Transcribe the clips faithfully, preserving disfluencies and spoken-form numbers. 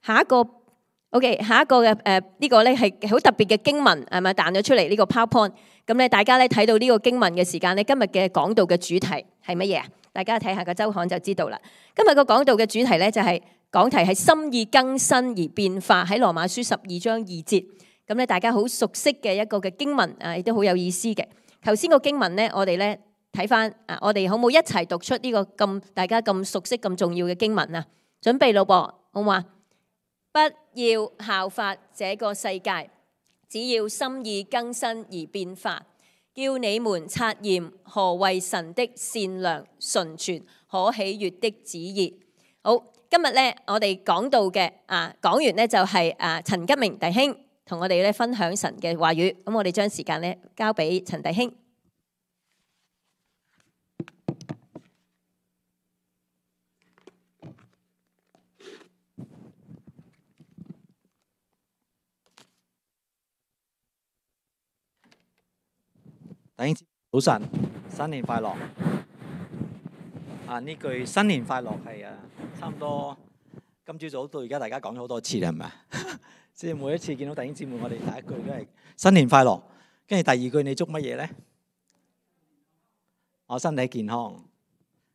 下一個 OK， 下一個嘅誒呢個咧係好特別嘅經文係咪彈咗出嚟呢個 PowerPoint？咁咧大家咧睇到呢個經文嘅時間咧，今日嘅講道嘅主題係乜嘢啊？大家睇下個週刊就知道啦。今日個講道嘅主題咧就係、是、講題係心意更新而變化，喺羅馬書十二章二節。咁咧大家好熟悉嘅一個嘅經文啊，亦都好有意思嘅。頭先個經文咧，我哋咧睇翻啊，我哋好冇一齊讀出呢個咁大家咁熟悉咁重要嘅經文啊？準備咯噃，好嘛？不要效法這個世界，只要心意更新而變化，叫你們察驗何為神的善良、純全、可喜悅的旨意。好，今日咧我哋講到嘅啊，講完咧就係啊陳吉明弟兄同我哋咧分享神嘅話語。咁我哋將時間咧交俾陳弟兄。弟兄早晨，新年快樂！啊，呢句新年快樂係啊，差唔多今朝早到而家大家講咗好多次啦，係咪啊？即係每一次見到弟兄姊妹，我哋第一句都係新年快樂，跟住第二句你祝乜嘢咧？我身體健康，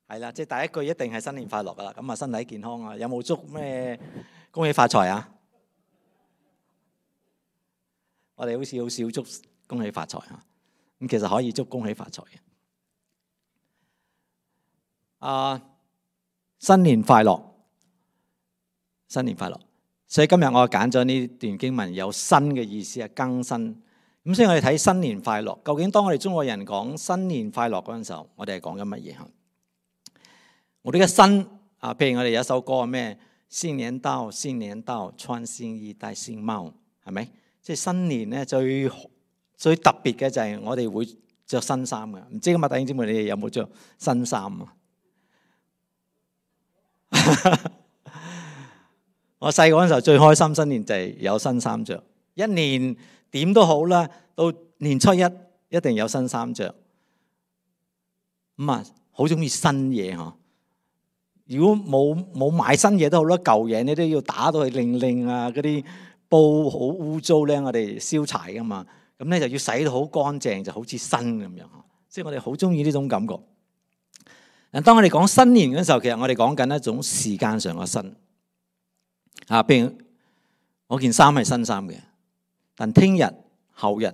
係啦，即係第一句一定係新年快樂噶啦。咁啊，身體健康啊，有冇祝咩恭喜發財啊？我哋好似好少祝恭喜發財啊。咁其實可以祝恭喜發財嘅。啊，新年快樂，新年快樂。所以今日我揀咗呢段經文，有新嘅意思啊，更新。咁所以我哋睇新年快樂，究竟當我哋中國人講新年快樂嗰陣時候，我哋係講緊乜嘢？我哋嘅新啊，譬如我哋有一首歌係咩？新年到，新年到，穿新衣，戴新帽，係咪？即係新年咧最最特別嘅就係我哋會着新衫嘅，唔知今日弟兄姊妹你哋有冇着新衫啊？我細個嗰陣時候最開心新年就係有新衫着，一年點都好啦，到年初一一定有新衫着。咁啊，好中意新嘢嗬。如果冇冇買新嘢都好啦，舊嘢你都要打到去令令啊，嗰啲布好污糟咧，我哋燒柴噶嘛。咁咧就要洗到好乾淨，就好似新咁樣。即係我哋好中意呢種感覺。嗱，當我哋講新年嘅時候，其實我哋講緊一種時間上嘅新。啊，譬如我件衫係新衫嘅，但聽日、後日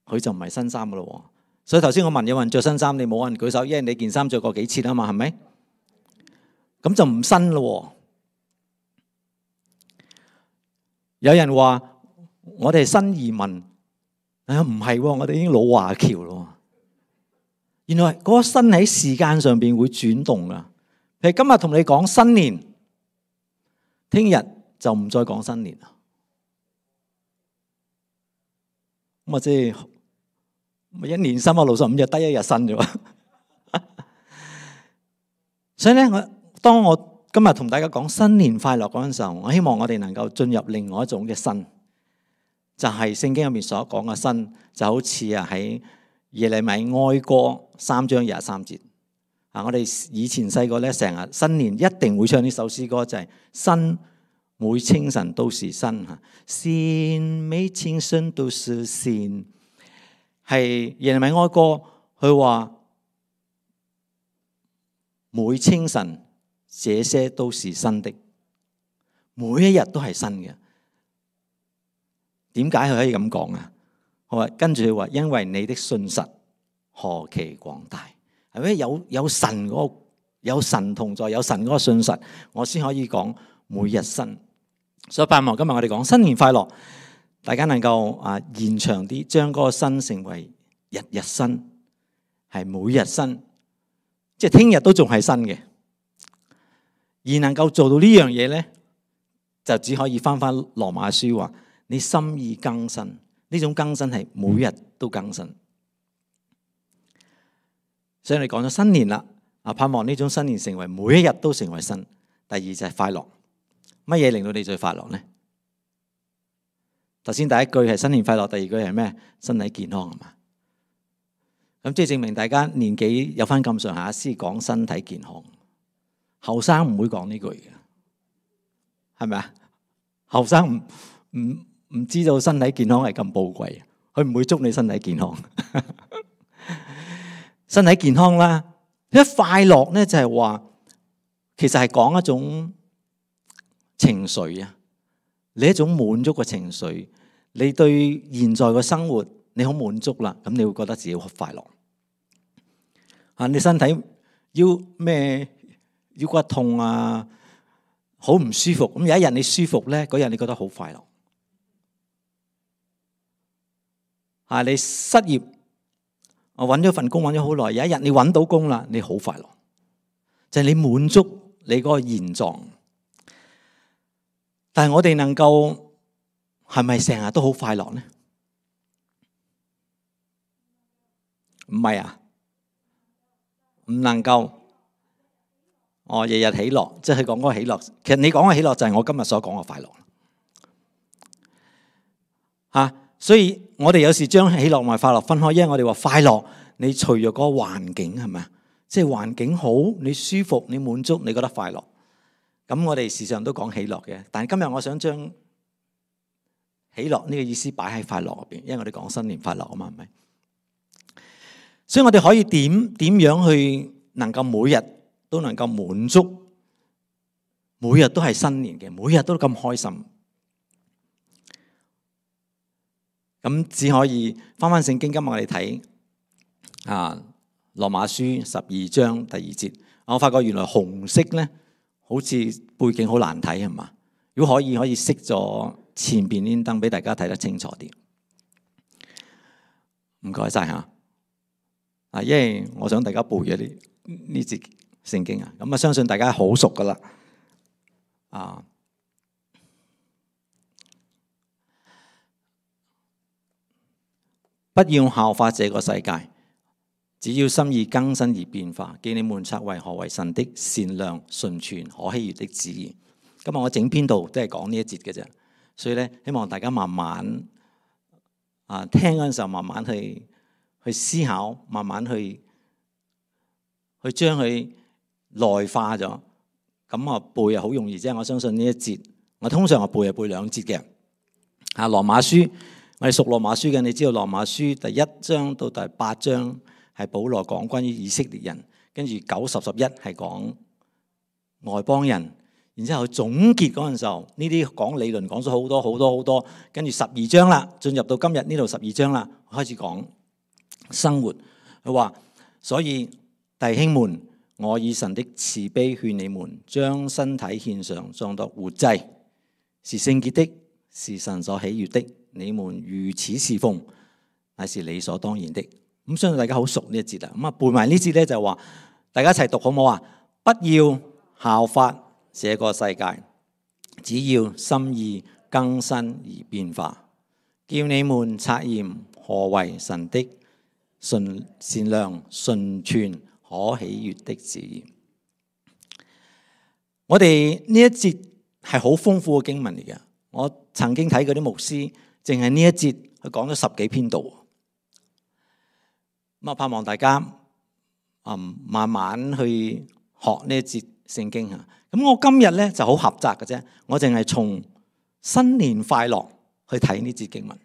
佢就唔係新衫噶咯。所以頭先我問有人着新衫，你冇人舉手，因為你件衫着過幾次啊嘛，係咪？咁就唔新咯。有人話我哋係新移民。啊，唔係，我哋已經老華僑咯。原來嗰個新喺時間上邊會轉動噶。譬如今日同你講新年，聽日就唔再講新年啦。咁啊，即係咪一年三百六十五日得一日新啫？所以咧，我當我今日同大家講新年快樂嗰陣時候，我希望我哋能夠進入另外一種嘅新。就係聖經入面所講嘅新，就好似啊喺耶利米哀歌三章廿三節啊！我哋以前細個咧，成日新年一定會唱呢首詩歌，就係、是、新每清晨都是新嚇，新每清晨都是新。係耶利米哀歌，佢話每清晨這些都是新的，每一日都係新嘅。點解佢可以咁講啊？我話跟住佢話，因為你的信實何其廣大，係咪有有神嗰個有神同在，有神嗰個信實，我先可以講每日新。所以盼望今日我哋講新年快樂，大家能夠啊延長啲，將嗰個新成為日日新，係每日新，即係聽日都仲係新嘅。而能夠做到呢樣嘢咧，就只可以翻翻羅馬書話。你心意更新，呢種更新係每日都更新。所以你講咗新年啦，啊盼望呢種新年成為每一日都成為新。第二就係快樂，乜嘢令到你最快樂呢？頭先第一句係新年快樂，第二句係咩？身體健康係嘛？咁即係證明大家年紀有翻咁上下先講身體健康，後生唔會講呢句嘅，係咪啊？後生唔唔唔知道身體健康係咁寶貴，佢唔會祝你身體健康。身體健康啦，一快樂咧就係話，其實係講一種情緒啊，你一種滿足嘅情緒，你對現在嘅生活你好滿足啦，咁你會覺得自己好快樂。啊，你身體腰咩腰骨痛啊，好唔舒服，咁有一日你舒服咧，嗰日你覺得好快樂。啊，你失業，我揾咗份工揾咗好耐，有一日你揾到工啦，你好快樂，就係你滿足你嗰個現狀。但係我哋能夠係咪成日都好快樂呢？唔係啊，唔能夠。我日日喜樂，即係講嗰個喜樂。其實你講嘅喜樂就係我今日所講嘅快樂。嚇，所以我哋有時將喜樂同埋快樂分開，因為我哋話快樂，你除咗嗰個環境係咪啊？即係環境好，你舒服，你滿足，你覺得快樂。咁我哋時常都講喜樂嘅，但係今日我想將喜樂呢個意思擺喺快樂入邊，因為我哋講新年快樂啊嘛，係咪？所以我哋可以點點樣去能夠每日都能夠滿足，每日都係新年嘅，每日都咁開心。咁只可以翻翻聖經，今日我哋睇啊羅馬書十二章第二節。我發覺原來紅色咧，好似背景好難睇係嘛？如果可以，可以熄咗前邊啲燈俾大家睇得清楚啲。唔該晒吓。啊，因為我想大家背咗呢呢節聖經啊，咁啊相信大家好熟噶啦。啊，不要效法這個世界，只要心意更新而變化，叫你們察為何為神的善良、純全、可喜悅的旨意。今日我整篇道都係講呢一節嘅啫，所以咧希望大家慢慢啊聽嗰陣時候，慢慢去去思考，慢慢去去將佢內化咗。咁啊背啊好容易啫，我相信呢一節，我通常我背係背兩節嘅。啊，羅馬書，我哋熟羅馬書嘅，你知道羅馬書第一章到第八章係保羅講關於以色列人，跟住九十十一係講外邦人，然之後總結嗰陣時候，呢啲講理論講咗好多好多好多，跟住十二章啦，進入到今日呢度十二章啦，開始講生活。佢話，所以弟兄們，我以神的慈悲勸你們，將身體獻上，當作活祭，是聖潔的，是神所喜悅的。你們如此侍奉，乃是理所當然的。咁相信大家好熟呢一節啦。咁啊背埋呢節咧就話，大家一齊讀好唔好啊？不要效法這個世界，只要心意更新而變化，叫你們察驗何為神的純善良、純全、可喜悅的旨意。我哋呢一節係好豐富嘅經文嚟嘅。我曾經睇過啲牧師，淨係呢一節佢講咗十幾篇道。咁啊，盼望大家啊慢慢去學呢一節聖經啊。咁我今日咧就好狹窄嘅啫，我淨係從新年快樂去睇呢節經文。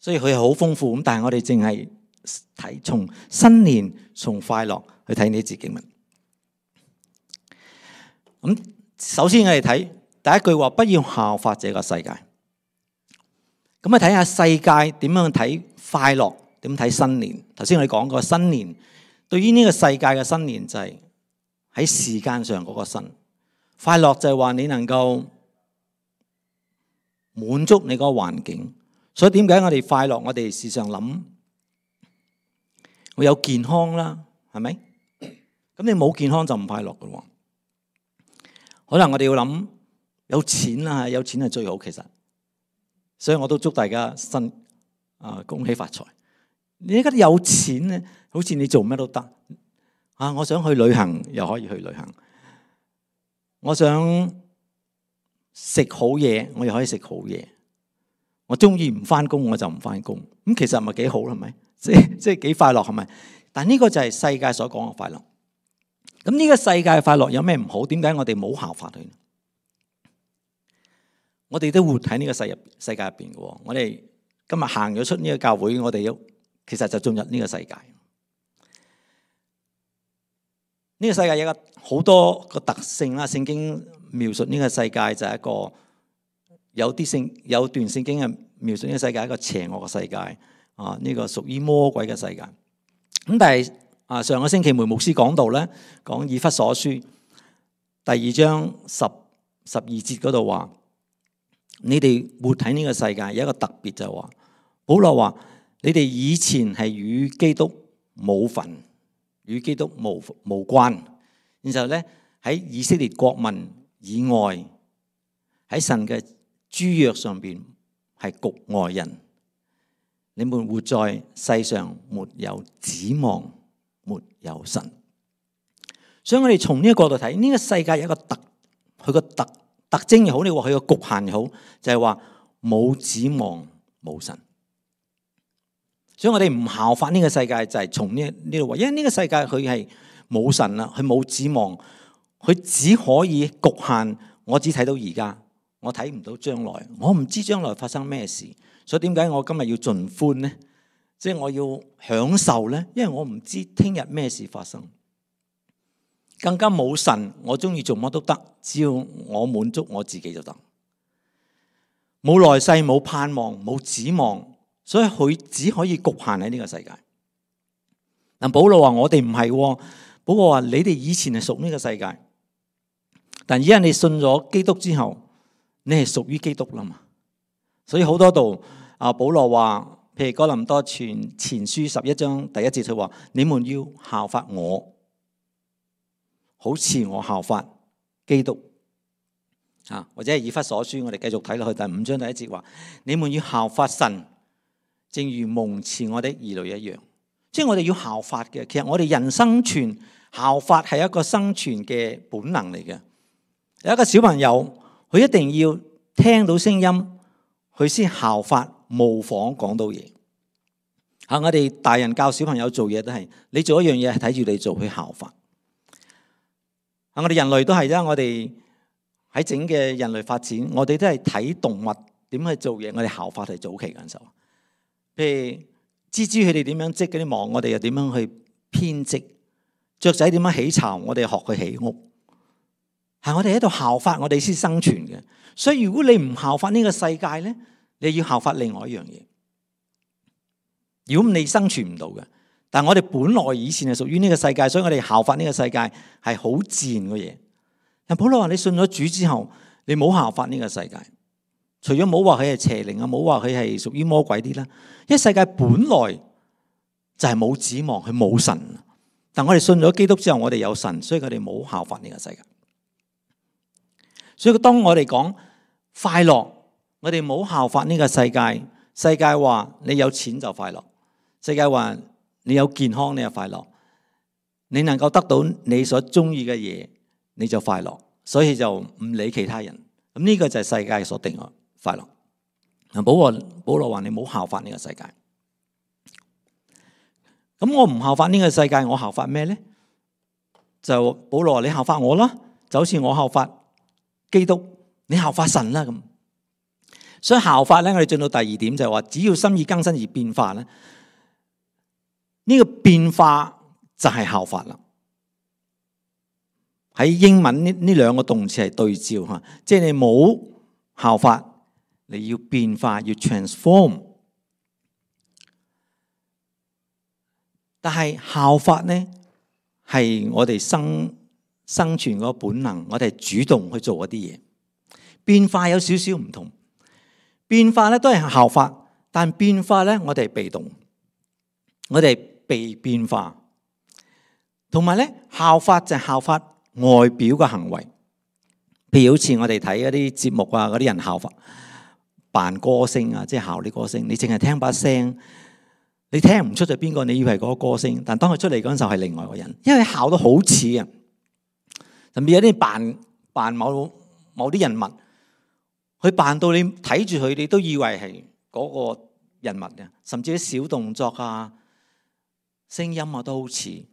所以佢係好豐富咁，但係我哋淨係睇從新年從快樂去睇呢節經文。咁首先我哋睇第一句話，不要效法這個世界。咁啊，睇下世界點樣睇快樂，點睇新年。頭先我哋講過新年，對於呢個世界嘅新年就係喺時間上嗰個新快樂，就係話你能夠滿足你嗰個環境。所以點解我哋快樂？我哋時常諗會有健康啦，係咪？咁你冇健康就唔快樂㗎喎。可能我哋要諗有錢啦，有錢係最好其實。所以我都祝大家新啊恭喜發財。你而家有錢咧，好似你做咩都得啊！我想去旅行又可以去旅行，我想食好嘢我又可以食好嘢。我中意唔翻工我就唔翻工，咁其實唔係幾好係咪？即係即係幾快樂係咪？但呢個就係世界所講嘅快樂。咁呢個世界嘅快樂有咩唔好？點解我哋冇效法佢？我哋都活喺呢個世入世界入邊嘅。我哋今日行咗出呢個教會，我哋其實就進入呢個世界。呢個世界有個好多個特性啦。聖經描述呢個世界就係一個有啲聖有段聖經係描述呢個世界係一個邪惡嘅世界啊，呢個屬於魔鬼嘅世界。咁但係啊，上個星期梅牧師講到咧，講以弗所書第二章十十二節嗰度話，你哋活喺呢個世界有一個特別就係話，保羅話你哋以前係與基督冇份，與基督無無關，然後咧喺以色列國民以外，喺神嘅諸約上邊係局外人。你們活在世上，沒有指望，沒有神。所以我哋從呢個角度睇，呢個世界有一個特，佢個特特徵又好，你話佢個局限又好，就係話冇指望，冇神。所以我哋唔效法呢個世界，就係從呢呢度話，因為呢個世界佢係冇神啦，佢冇指望，佢只可以局限。我只睇到而家，我睇唔到將來，我唔知將來發生咩事。所以點解我今日要盡歡呢？即係我要享受呢？因為我唔知聽日咩事發生，更加冇神，我中意做乜都得，只要我滿足我自己就得。冇來世，冇盼望，冇指望。所以佢只可以局限喺呢個世界。但保羅話我哋唔係，保羅話你哋以前係屬呢個世界，但而家你信咗基督之後，你係屬於基督啦嘛。所以好多度啊，保羅話，譬如哥林多前前書十一章第一節，佢話你們要效法我，好似我效法基督。啊，或者係以弗所書，我哋繼續睇落去第五章第一節話，你們要效法神，正如蒙賜我的兒女一樣。即係我哋要效法嘅。其實我哋人生存效法係一個生存嘅本能嚟嘅。有一個小朋友，佢一定要聽到聲音，佢先效法模仿講到嘢。啊，我哋大人教小朋友做嘢都係，你做一樣嘢係睇住你做去效法。啊，我哋人類都係啦，我哋喺整嘅人類發展，我哋都係睇動物點去做嘢，我哋效法係早期嗰陣時候。譬如蜘蛛佢哋點樣織嗰啲網，我哋又點樣去編織；雀仔點樣起巢，我哋學佢起屋。係我哋喺度效法，我哋先生存嘅。所以如果你唔效法呢個世界咧，你要效法另外一樣嘢。如果你生存唔到嘅，但係我哋本來以前係屬於呢個世界，所以我哋效法呢個世界係好自然嘅嘢。但保羅話你信咗主之後，你冇效法呢個世界。除咗冇話佢係邪靈啊，冇話佢係屬於魔鬼啲啦。因為世界本來就係冇指望，佢冇神。但我哋信咗基督之後，我哋有神，所以佢哋冇效法呢個世界。所以當我哋講快樂，我哋冇效法呢個世界。世界話你有錢就快樂，世界話你有健康你就快樂，你能夠得到你所中意嘅嘢你就快樂，所以就唔理其他人。咁呢個就係世界所定嘅快樂。保羅保羅話你冇效法呢個世界。咁我唔效法呢個世界，我效法咩咧？就保羅話你效法我啦，就好似我效法基督，你效法神啦咁。所以效法咧，我哋進到第二點就係話，只要心意更新而變化咧，呢個變化就係效法啦。喺英文呢呢兩個動詞係對照吓，即係你冇效法，你要變化，要 transform。但係效法咧係我哋生生存嗰個本能，我哋係主動去做一啲嘢。變化有少少唔同。變化咧都係效法，但變化咧我哋係被動，我哋被變化。同埋咧效法就係效法外表嘅行為，譬如好似我哋睇一啲節目啊，嗰啲人效法扮歌星啊，即係效啲歌星，你淨係聽把聲，你聽唔出就邊個，你以為嗰個歌星，但當佢出嚟嗰陣時候係另外一個人，因為效到好似啊，甚至有啲扮扮某某啲人物。佢扮到你睇住佢，你都以為係嗰個人物嘅，甚至啲小動作啊、聲音啊都好似。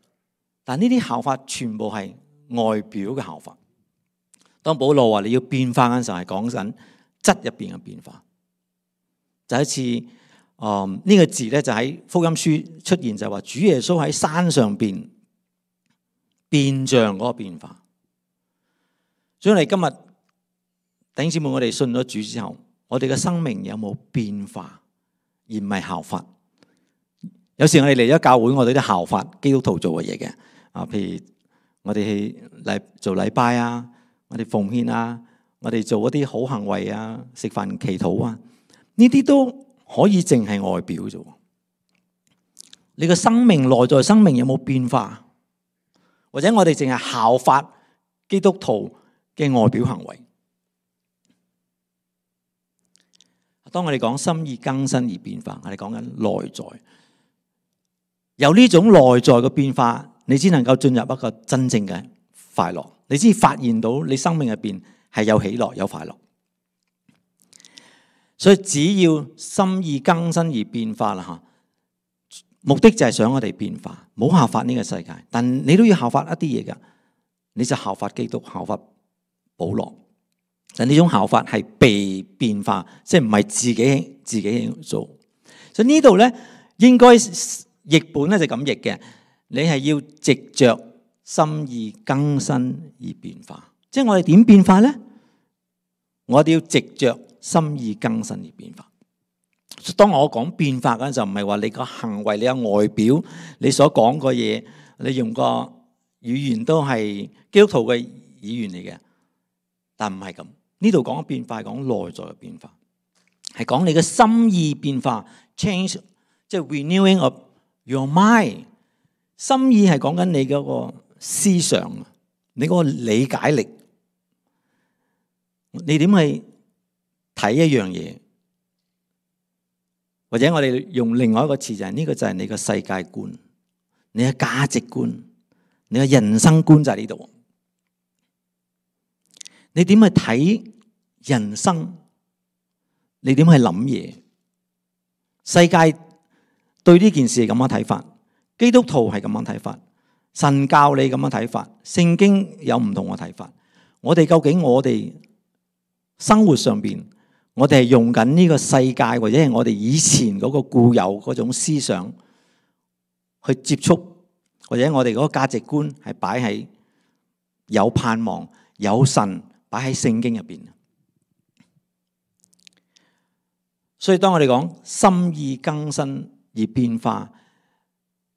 但呢啲效法全部係外表嘅效法。當保羅話你要變化嗰陣時候，係講緊質入邊嘅變化。就一次，誒、嗯、呢、這個字咧就喺福音書出現，就係話主耶穌喺山上邊變像嗰個變化。所以我哋今日弟兄姊妹，我哋信咗主之後，我哋嘅生命有冇變化，而唔係效法？有時我哋嚟咗教會，我哋都效法基督徒做嘅嘢嘅。啊，譬如我哋去禮做禮拜啊，我哋奉獻啊，我哋做一啲好行為啊，食飯祈禱啊，呢啲都可以淨係外表啫。你嘅生命內在生命有冇變化？或者我哋淨係效法基督徒嘅外表行為？當我哋講心意更新而變化，我哋講緊內在，有呢種內在嘅變化，你只能夠進入一個真正嘅快樂，你先發現到你生命入邊係有喜樂有快樂。所以只要心意更新而變化啦吓，目的就係想我哋變化，唔好效法呢個世界，但你都要效法一啲嘢噶，你就效法基督，效法保羅。但呢種效法係被變化，即係唔係自己自己做。所以呢度咧，應該譯本咧就咁譯嘅，你係要藉着心意更新而變化。即係我哋點變化咧？我哋要藉着心意更新而變化。當我講變化嗰陣，就唔係話你個行為、你個外表、你所講個嘢、你用個語言都係基督徒嘅語言嚟嘅，但唔係咁。呢度講嘅變化係講內在嘅變化，係講你嘅心意變化 ，change 即係 renewing of your mind。心意係講緊你嗰個思想，你嗰個理解力，你點去睇一樣嘢？或者我哋用另外一個詞就係呢個就係你嘅世界觀，你嘅價值觀，你嘅人生觀就喺呢度。你點去睇人生？你點去諗嘢？世界對呢件事係咁樣睇法，基督徒係咁樣睇法，神教你咁樣睇法，聖經有唔同嘅睇法。我哋究竟我哋生活上邊，我哋係用緊呢個世界，或者係我哋以前嗰個固有嗰種思想去接觸，或者我哋嗰個價值觀係擺喺有盼望、有神擺喺聖經入邊。所以當我哋講心意更新而變化，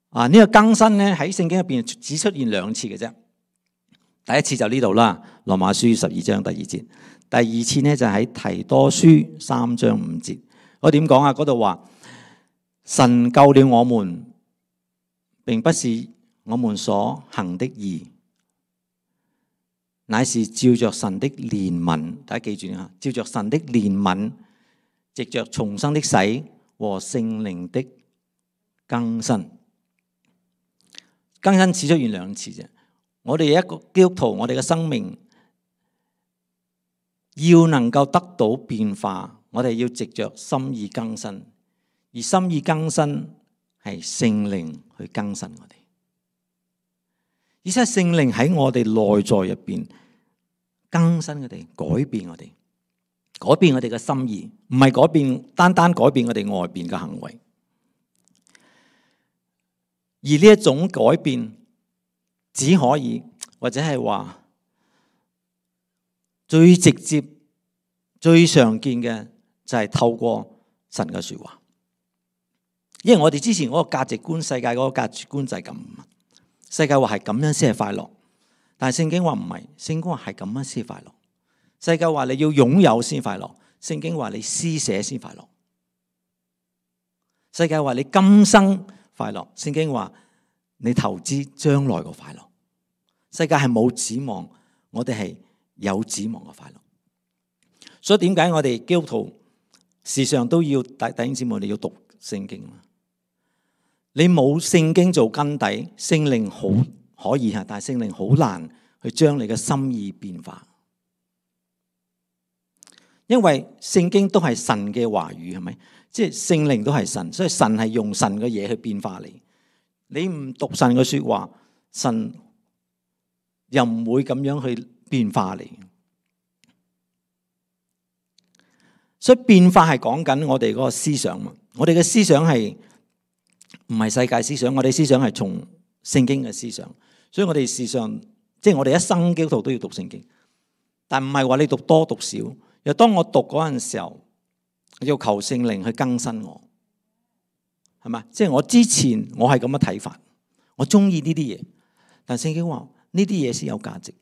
啊呢個更新咧喺聖經入邊只出現兩次嘅啫。第一次就呢度啦，羅馬書十二章第二節。第二次呢，就喺提多書三章五節。我點講啊？嗰度話神救了我們，並不是我們所行的義，乃是照着神的憐憫。大家記住啊，照着神的憐憫，藉着重生的洗和聖靈的更新。更新只出現兩次啫。我哋一個基督徒，我哋嘅生命要能夠得到變化，我哋要藉着心意更新，而心意更新係聖靈去更新我哋，而且聖靈喺我哋內在入邊更新我哋，改變我哋，改變我哋嘅心意，唔係改變單單改變我哋外邊嘅行為，而呢一種改變只可以或者係話。最直接、最常見嘅就係透過神嘅說話，因為我哋之前嗰個價值觀、世界嗰個價值觀就係咁，世界話係咁樣先係快樂，但係聖經話唔係，聖經話係咁樣先快樂。世界話你要擁有先快樂，聖經話你施捨先快樂。世界話你今生快樂，聖經話你投資將來個快樂。世界係冇指望，我哋係有指望嘅快樂。所以點解我哋基督徒時常都要弟兄姊妹，你要讀聖經。你冇聖經做根底，聖靈好可以吓，但係聖靈好難去將你嘅心意變化。因為聖經都係神嘅話語，係咪？即係聖靈都係神，所以神係用神嘅嘢去變化你。你唔讀神嘅說話，神又唔會咁樣去變化你。所以變化係講緊我哋嗰個思想嘛。我哋嘅思想係唔係世界思想，我哋思想係從聖經嘅思想。所以我哋事實上，即係我哋一生基督徒都要讀聖經，但唔係話你讀多讀少。又當我讀嗰陣時候，要求聖靈去更新我，係嘛？即係我之前我係咁嘅睇法，我中意呢啲嘢，但聖經話呢啲嘢先有價值。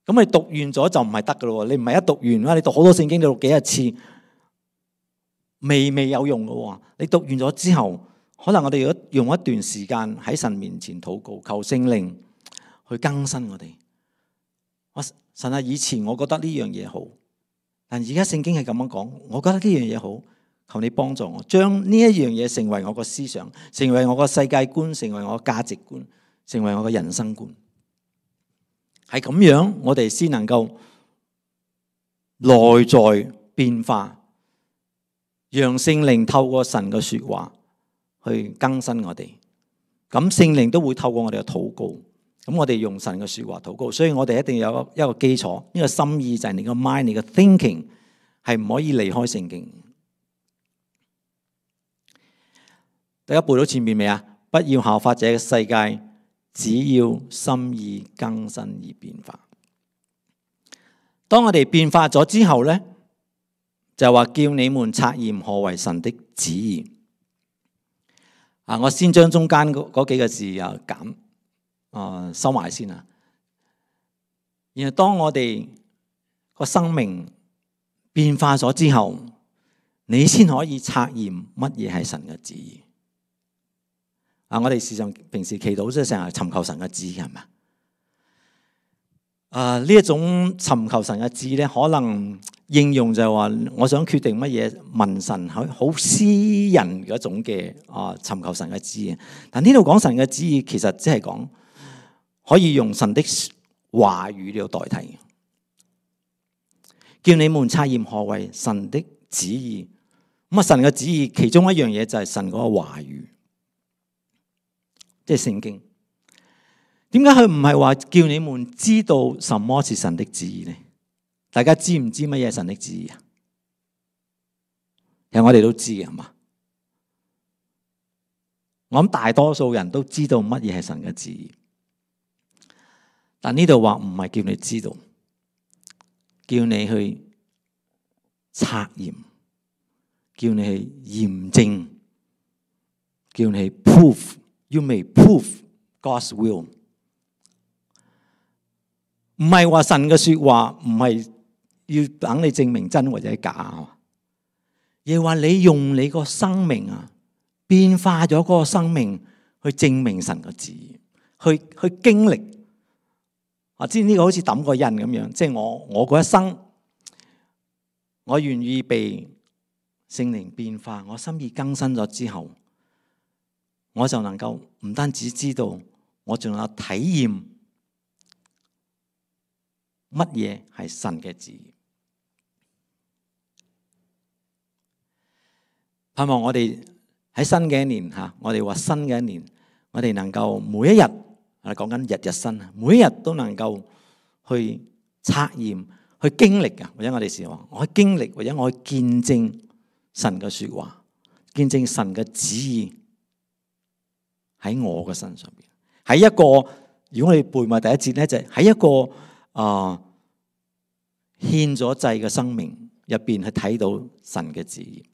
咁你讀完咗就唔係得噶咯？你唔係一讀完啦，你讀好多聖經，你讀幾多次，未未有用噶。你讀完咗之後，可能我哋要用一段時間喺神面前禱告，求聖靈去更新我哋。我神啊，以前我覺得呢樣嘢好，但而家聖經係咁樣講，我覺得呢樣嘢好，求你幫助我，將呢一樣嘢成為我個思想，成為我個世界觀，成為我個價值觀，成為我個人生觀。係咁樣，我哋先能夠內在變化，讓聖靈透過神嘅說話去更新我哋。咁聖靈都會透過我哋嘅禱告，咁我哋用神嘅說話禱告。所以我哋一定要有一個基礎，呢個心意就係你個 mind，你個 thinking 係唔可以離開聖經。大家背到前面未啊？不要效法這個世界，只要心意更新而變化。當我哋變化咗之後呢，就話叫你們察驗何為神的旨意。啊，我先將中間嗰幾個字啊減啊收埋先啊。然後當我哋個生命變化咗之後，你先可以察驗乜嘢係神嘅旨意。啊！我哋時常平時祈禱即係成日尋求神嘅旨意，係咪？啊！呢一種尋求神嘅旨意咧，可能應用就係話，我想決定乜嘢問神，好好私人嗰種嘅啊尋求神嘅旨意。但呢度講神嘅旨意，其實即係講可以用神的話語嚟代替，叫你們察驗何為神的旨意。咁啊，神嘅旨意其中一樣嘢就係神嗰個話語。即係聖經，點解佢唔係話叫你們知道什麼是神的旨意呢？大家知唔知乜嘢係神的旨意啊？其實我哋都知嘅，係嘛？我諗大多數人都知道乜嘢係神嘅旨意，但呢度話唔係叫你知道，叫你去察驗，叫你去驗證，叫你去 prove。You may prove God's will。唔係話神嘅說話，唔係要等你證明真或者假，而係話你用你個生命啊，變化咗嗰個生命去證明神嘅旨意，去去經歷。啊，知呢個好似抌個印咁樣，即係我我嗰一生，我願意被聖靈變化，我心意更新咗之後，我就能夠唔單止知道，我仲有體驗乜嘢係神嘅旨意。盼望我哋喺新嘅一年吓，我哋話新嘅一年，我哋能夠每一日，我哋講緊日日新，每一日都能夠去測驗、去經歷啊，或者我哋時話，我去經歷或者我去見證神嘅說話，見證神嘅旨意。喺我嘅身上邊，喺一個，如果我哋背埋第一節咧，就係喺一個啊獻咗祭嘅生命入邊去睇到神嘅旨意。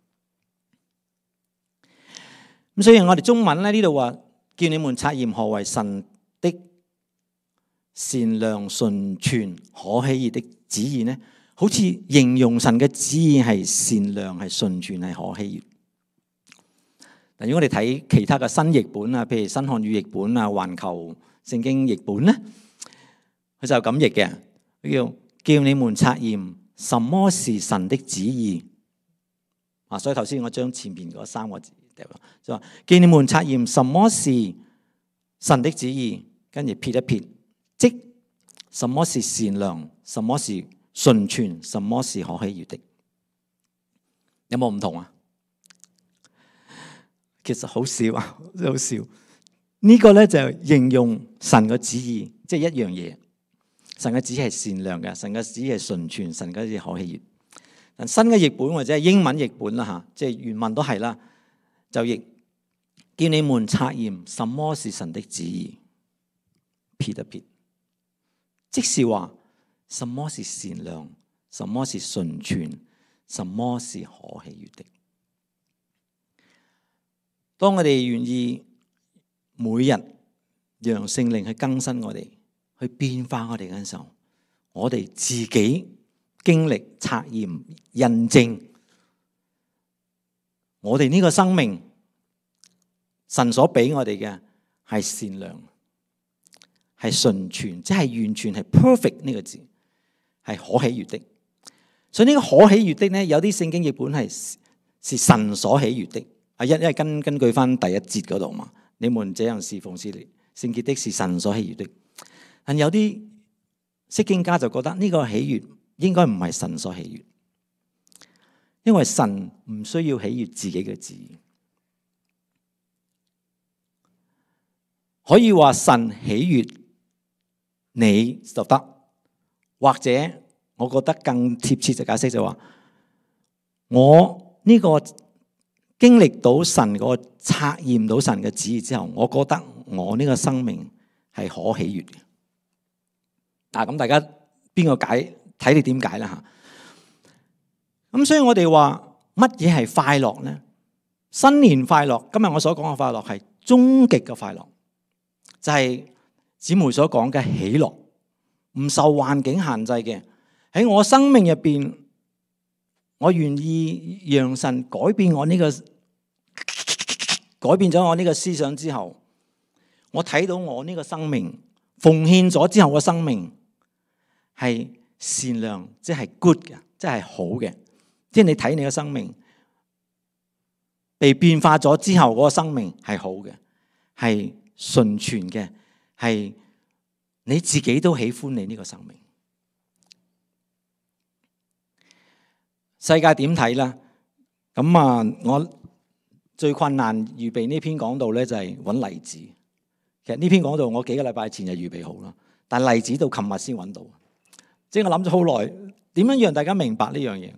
咁所以我哋中文咧呢度話，叫你們察驗何為神的善良、純全、可喜悅的旨意呢，好似形容神嘅旨意係善良、係純全、係可喜悅。如果我哋睇其他嘅新譯本啊，譬如新漢語譯本啊、環球聖經譯本咧，佢就咁譯嘅，佢叫叫你們察驗什麼是神的旨意啊。所以頭先我將前面嗰三個字掉咗，就話叫你們察驗什麼是神的旨意，跟住撇一撇，即什麼是善良，什麼是純全，什麼是可喜悅的。有冇唔同啊？其實好少啊，好少。呢個咧就形容神嘅旨意，即係一樣嘢。神嘅旨意係善良嘅，神嘅旨意係純全，神嘅旨意可喜悅。但新嘅譯本或者係英文譯本啦嚇，即係原文都係啦，就譯叫你們察驗什麼是神的旨意，撇一撇，即是話什麼是善良，什麼是純全，什麼是可喜悅的。當我哋願意每日讓聖靈去更新我哋，去變化我哋嘅時候，我哋自己經歷、察驗、印證，我哋呢個生命，神所俾我哋嘅係善良，係純全，即係完全係 perfect 呢個字，係可喜悅的。所以呢個可喜悅的呢，有啲聖經譯本係是神所喜悅的。啊，因因為根根據翻第一節嗰度嘛，你們這樣侍奉是聖潔的，是神所喜悅的。但有啲釋經家就覺得呢個喜悅應該唔係神所喜悅，因為神唔需要喜悅自己嘅旨意，可以話神喜悅你就得，或者我覺得更貼切嘅解釋就話，我呢個經歷到神個察驗到神嘅旨意之後，我覺得我呢個生命係可喜悅嘅。嗱，咁大家邊個解？睇你點解啦吓。咁所以我哋話乜嘢係快樂呢？新年快樂，今日我所講嘅快樂係終極嘅快樂，就係姊妹所講嘅喜樂，唔受環境限制嘅。喺我生命入邊，我願意讓神改變我呢個改變咗我呢個思想之後，我睇到我呢個生命奉獻咗之後嘅生命係善良，即係 good 嘅，即係好嘅。即係你睇你嘅生命被變化咗之後，嗰個生命係好嘅，係純全嘅，係你自己都喜歡你呢個生命。世界點睇啦？咁啊，我最困難預備呢篇講道咧，就係揾例子。其實呢篇講道我幾個禮拜前就預備好啦，但例子到琴日先揾到。即係我諗咗好耐，點樣讓大家明白呢樣嘢？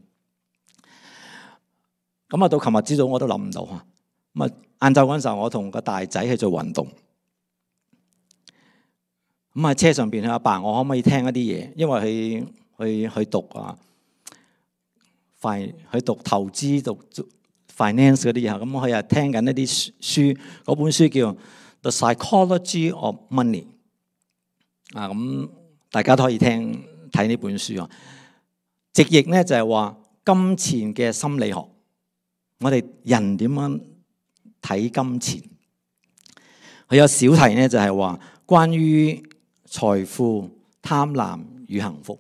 咁啊，到琴日朝早我都諗唔到嚇。咁啊，晏晝嗰陣時候，我同個大仔去做運動。咁喺車上邊，佢阿爸，我可唔可以聽一啲嘢？因為佢去去讀啊，去讀投資、讀 finance 嗰啲嘢。咁佢又聽緊一啲書，嗰本書叫《The Psychology of Money》。啊，咁大家都可以聽睇呢本書啊。直譯咧就係話金錢嘅心理學。我哋人點樣睇金錢？佢有小題咧，就係話關於財富、貪婪與幸福。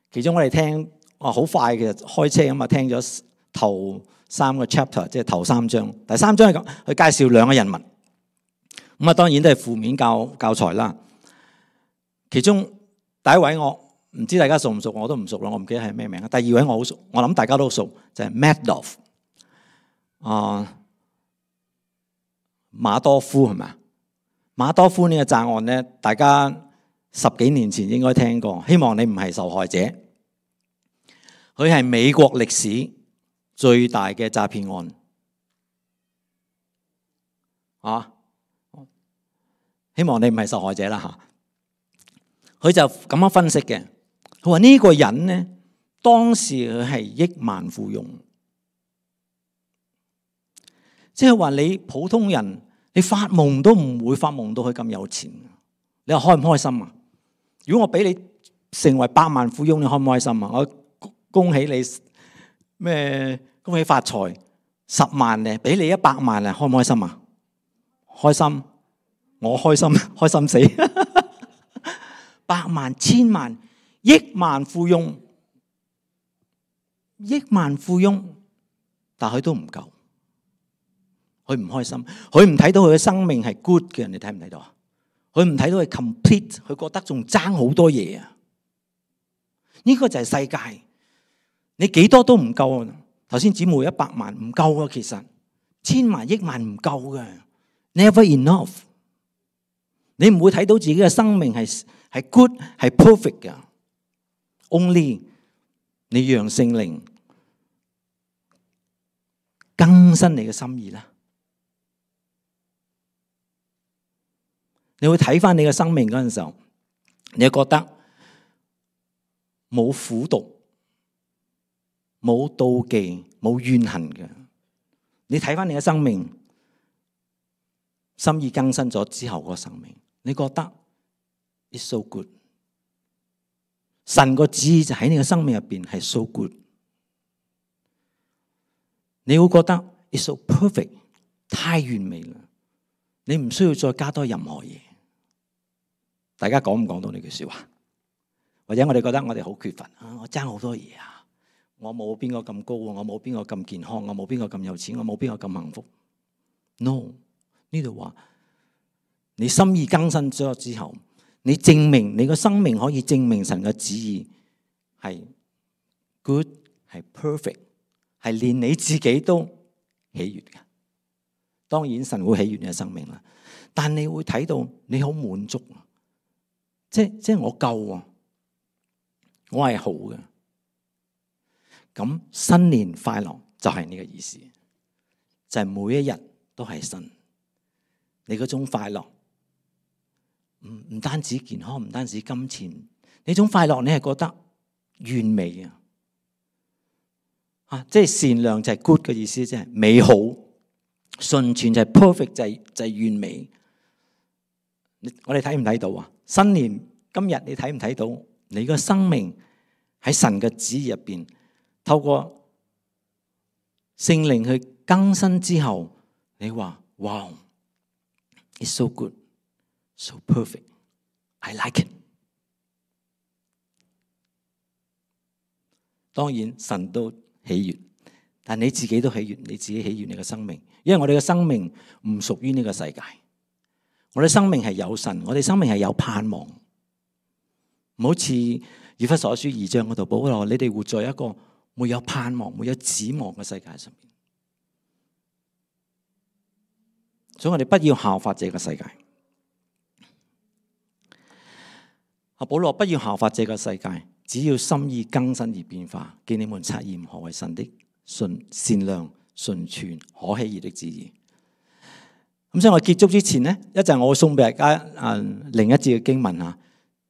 其中我哋聽，哇，好快嘅開車咁啊，聽咗頭三個 chapter， 即係頭三章。第三章係咁，佢介紹兩個人物。咁啊，當然都係負面教教材啦。其中第一位我唔知大家熟唔熟，我都唔熟啦，我唔記得係咩名。第二位我好熟，我諗大家都熟，就係 Madoff 啊，馬多夫係咪啊？馬多夫呢個詐案咧，大家十幾年前應該聽過，希望你唔係受害者。佢係美國歷史最大嘅詐騙案啊！希望你唔係受害者啦嚇。佢就咁樣分析嘅。佢話呢個人呢，當時佢係億萬富翁，即係話你普通人，你發夢都唔會發夢到佢咁有錢。你話開唔開心啊？如果我俾你成為百萬富翁，你開唔開心啊？我恭喜你咩？恭喜發財，十萬咧，俾你一百萬咧，開唔開心啊？開心，我開心，開心死。百萬、千萬、億萬富翁，億萬富翁，但佢都唔夠，佢唔開心，佢唔睇到佢嘅生命係 good 嘅，你睇唔睇到啊？佢唔睇到係 complete，佢覺得仲爭好多嘢啊！呢個就係世界，你幾多都唔夠啊！頭先姊妹一百萬唔夠啊，其實千萬億萬唔夠嘅 ，never enough。你唔會睇到自己嘅生命係係 good 係 perfect 嘅，only 你讓聖靈更新你嘅心意啦。你會睇翻你嘅生命嗰陣時候，你覺得冇苦毒、冇妒忌、冇怨恨嘅。你睇翻你嘅生命，心意更新咗之後個生命，你覺得 it's so good。神個旨意就喺你嘅生命入邊係 so good。你會覺得 it's so perfect， 太完美啦，你唔需要再加多任何嘢。大家講唔講到呢句說話？或者我哋覺得我哋好缺乏啊，我爭好多嘢啊，我冇邊個咁高，我冇邊個咁健康，我冇邊個咁有錢，我冇邊個咁幸福。No， 呢度話你心意更新咗之後，你證明你個生命可以證明神嘅旨意係 good， 係 perfect， 係連你自己都喜悅嘅。當然神會喜悅你嘅生命啦，但你會睇到你好滿足。即即係我夠啊，我係好嘅。咁新年快樂就係呢個意思，就係每一日都係新。你嗰種快樂唔唔單止健康，唔單止金錢，呢種快樂你係覺得完美啊！啊，即係善良就係 good 嘅意思，即係美好；純全就係 perfect， 就係就係完美。我哋睇唔睇到啊？新年今日你睇唔睇到你個生命喺神嘅旨意入邊，透過聖靈去更新之後，你話哇 ，it's so good, so perfect, I like it。當然神都喜悅，但你自己都喜悅，你自己喜悅你嘅生命，因為我哋嘅生命唔屬於呢個世界。我哋生命係有神，我哋生命係有盼望，唔好似以弗所書二章嗰度保羅，你哋活在一個沒有盼望、沒有指望嘅世界上面。所以我哋不要效法這個世界。阿保羅，不要效法這個世界，只要心意更新而變化，叫你們察驗何為神的純善良、純全、可喜悅的旨意。咁所以我結束之前呢，一陣我會送俾大家啊另一節嘅經文啊，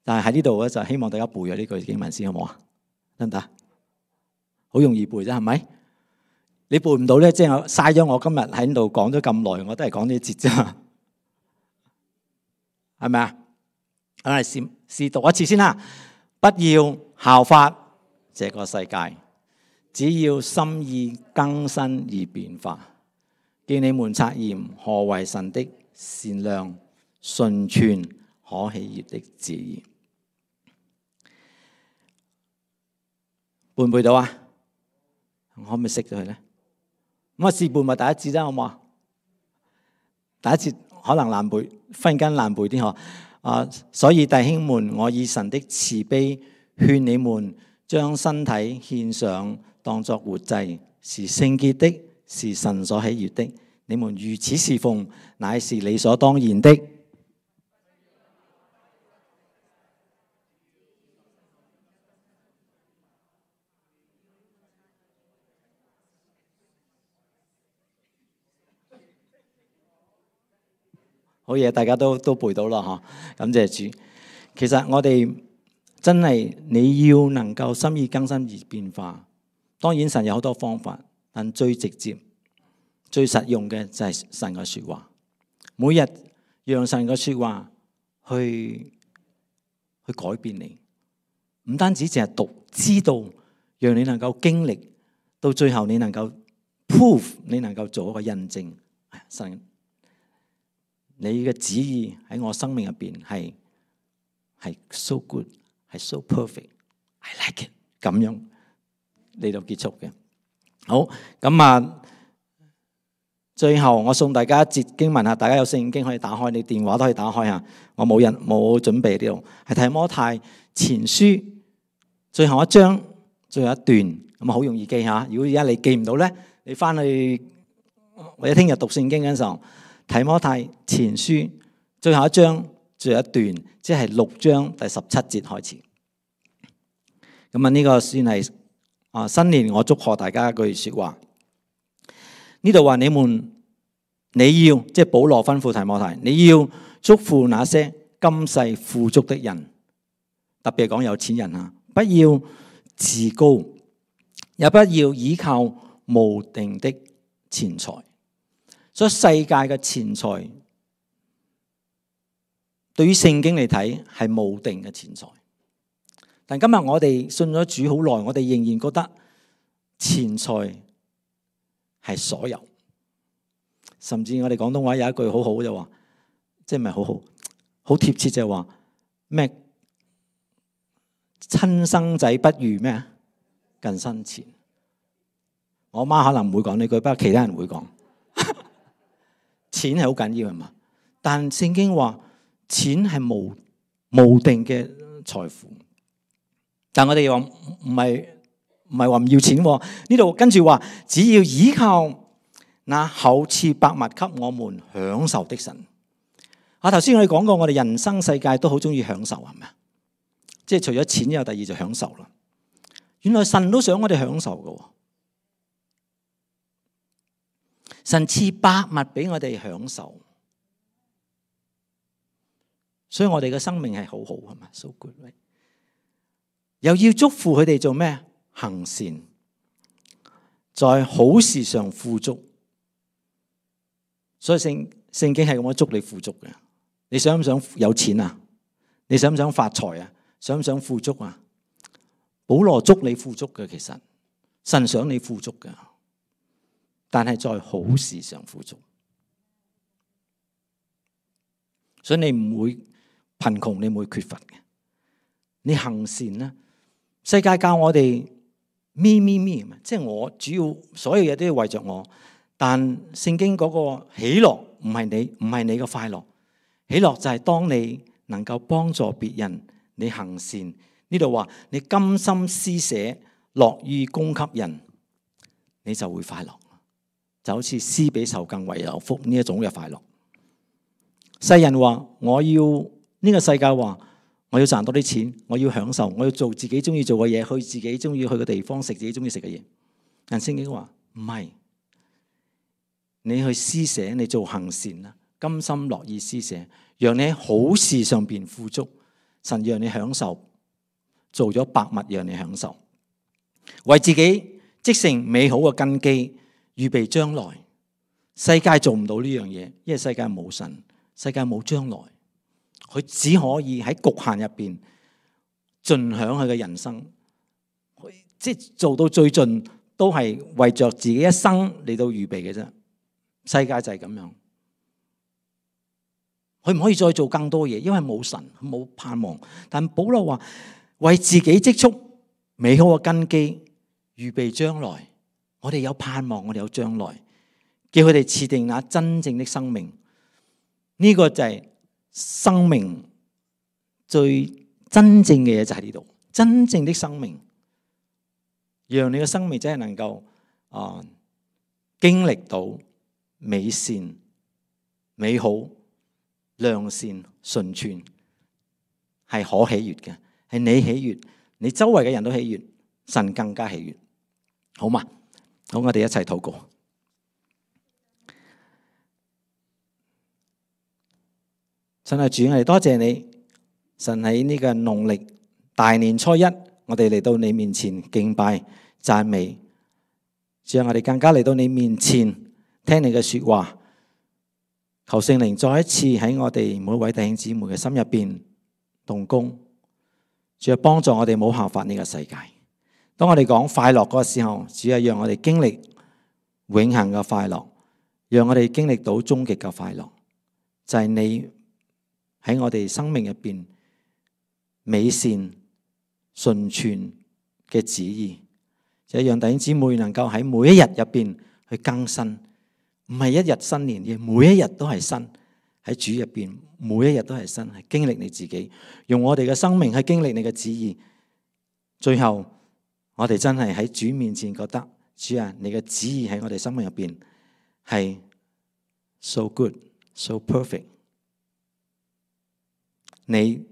但係喺呢度咧就希望大家背咗呢句經文先，好唔好啊？得唔得？好容易背啫，係咪？你背唔到咧，即係我嘥咗我今日喺度講咗咁耐，我都係講呢節啫，係咪啊？我哋試試讀一次先啦。不要效法這個世界，只要心意更新而變化。叫你們察驗何為神的善良、純全、可喜悅的旨意。背唔背到啊？我可唔可以識咗佢咧？咁啊，試背咪第一節啫，好唔好啊？第一節可能難背，忽然間難背啲嗬。啊，所以弟兄們，我以神的慈悲勸你們，將身體獻上，當作活祭，是聖潔的，是神所喜悅的。你們如此侍奉，乃是理所當然的。好嘢，大家都都背到啦，嗬！感謝主。其實我哋真係你要能夠心意更新而變化。當然神有好多方法，但最直接、最實用嘅就係神嘅說話。每日讓神嘅說話去去改變你，唔單止淨係讀，知道，讓你能夠經歷，到最後你能夠 prove， 你能夠做一個印證。神，你嘅旨意喺我生命入邊係係 so good， 係 so perfect，I like it， 咁樣嚟到結束嘅。好，咁啊，最後我送大家一節經文啊，大家有聖經可以打開，你電話都可以打開啊。我冇人冇準備呢度，係提摩太前書最後一章最後一段，咁啊好容易記下。如果而家你記唔到咧，你翻去或者聽日讀聖經嗰陣時候，提摩太前書最後一章最後一段，即係六章第十七節開始。咁啊呢個算係啊新年我祝賀大家一句説話。呢度話你們你要即係保羅吩咐提摩太，你要祝福那些今世富足的人，特別係講有錢人啊，不要自高，也不要依靠無定的錢財。所以世界嘅錢財對於聖經嚟睇係無定嘅錢財。但今日我哋信咗主好耐，我哋仍然覺得錢財係所有。甚至我哋廣東話有一句好好就話，即係唔係好好，好貼切就係話咩？親生仔不如咩啊？近身錢。我媽可能唔會講呢句，不過其他人會講。錢係好緊要係嘛？但聖經話錢係無無定嘅財富。但我哋又話唔係唔係話唔要錢喎。呢度跟住話，只要依靠那厚賜百物給我們享受的神。啊，頭先我哋講過，我哋人生世界都好中意享受係咪啊？即係除咗錢之後，第二就享受啦。原來神都想我哋享受㗎。神賜百物俾我哋享受，所以我哋嘅生命係好好係咪 ？So good， 又要祝福佢哋做咩？行善，在好事上富足。所以聖聖經係咁樣祝你富足嘅。你想唔想有錢啊？你想唔想發財啊？想唔想富足啊？保羅祝你富足嘅，其實神想你富足嘅。但係在好事上富足，所以你唔會貧窮，你唔會缺乏嘅。你行善啦，世界教我哋咪咪咪，即係我主要所有嘢都要為着我。但聖經嗰個喜樂唔係你，唔係你嘅快樂。喜樂就係當你能夠幫助別人，你行善。呢度話你甘心施捨，樂意供給人，你就會快樂。就好似施比受更為有福呢一種嘅快樂。世人話我要呢、這個世界話我要賺多啲錢，我要享受，我要做自己中意做嘅嘢，去自己中意去嘅地方，食自己中意食嘅嘢。但聖經話唔係，你去施捨，你做行善啦，甘心樂意施捨，讓你喺好事上邊富足。神讓你享受，做咗百物讓你享受，為自己積成美好嘅根基。預備將來，世界做唔到呢樣嘢，因為世界冇神，世界冇將來，佢只可以喺局限入邊盡享佢嘅人生，即係做到最盡，都係為着自己一生嚟到預備嘅啫。世界就係咁樣，佢唔可以再做更多嘢，因為冇神，冇盼望。但保羅話為自己積蓄美好嘅根基，預備將來。我哋有盼望，我哋有將來，叫佢哋設定那真正的生命。呢、這個就係生命最真正嘅嘢，就喺呢度。真正的生命，讓你嘅生命真係能夠啊、呃、經歷到美善、美好、良善、純全，係可喜悅嘅，係你喜悅，你周圍嘅人都喜悅，神更加喜悅，好嘛？好，我哋一齊禱告。神啊，主，我哋多謝你。神喺呢個農曆大年初一，我哋嚟到你面前敬拜讚美。主啊，我哋更加嚟到你面前聽你嘅說話。求聖靈再一次喺我哋每位弟兄姊妹嘅心入邊動工。主啊，幫助我哋冇效法呢個世界。當我哋講快樂嗰個時候，主要讓我哋經歷永恆嘅快樂，讓我哋經歷到終極嘅快樂，就係你喺我哋生命入邊美善純全嘅旨意，就係讓弟兄姊妹能夠喺每一日入邊去更新，唔係一日新年嘅，每一日都係新，喺主入邊每一日都係新，係經歷你自己，用我哋嘅生命去經歷你嘅旨意，最後。我哋真係喺主面前覺得，主啊，你嘅旨意喺我哋生命入邊係 so good, so perfect。你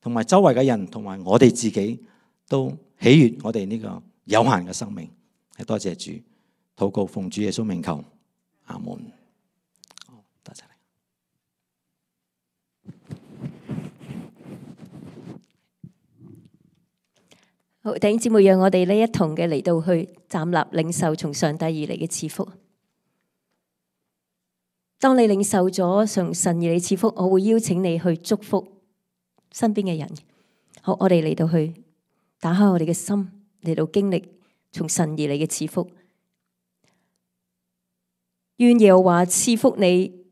同埋周圍嘅人，同埋我哋自己都喜悅我哋呢個有限嘅生命。係多謝主，禱告奉主耶穌名求，阿門。好，多謝你。好，弟兄姊妹，讓我哋呢一同嘅嚟到去站立領受從上帝而嚟嘅賜福。當你領受咗從神而嚟賜福，我會邀請你去祝福身邊嘅人。好，我哋嚟到去打開我哋嘅心，嚟到經歷從神而嚟嘅賜福。願耶和華賜福你，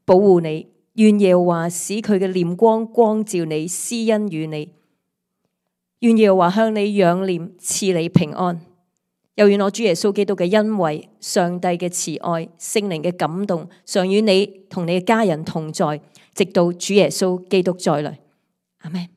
保護你；願耶和華使佢嘅臉光光照你，施恩與你；願耶和華向你仰臉，賜你平安。又願我主耶穌基督嘅恩惠、上帝嘅慈愛、聖靈嘅感動，常與你同你嘅家人同在，直到主耶穌基督再來。阿們。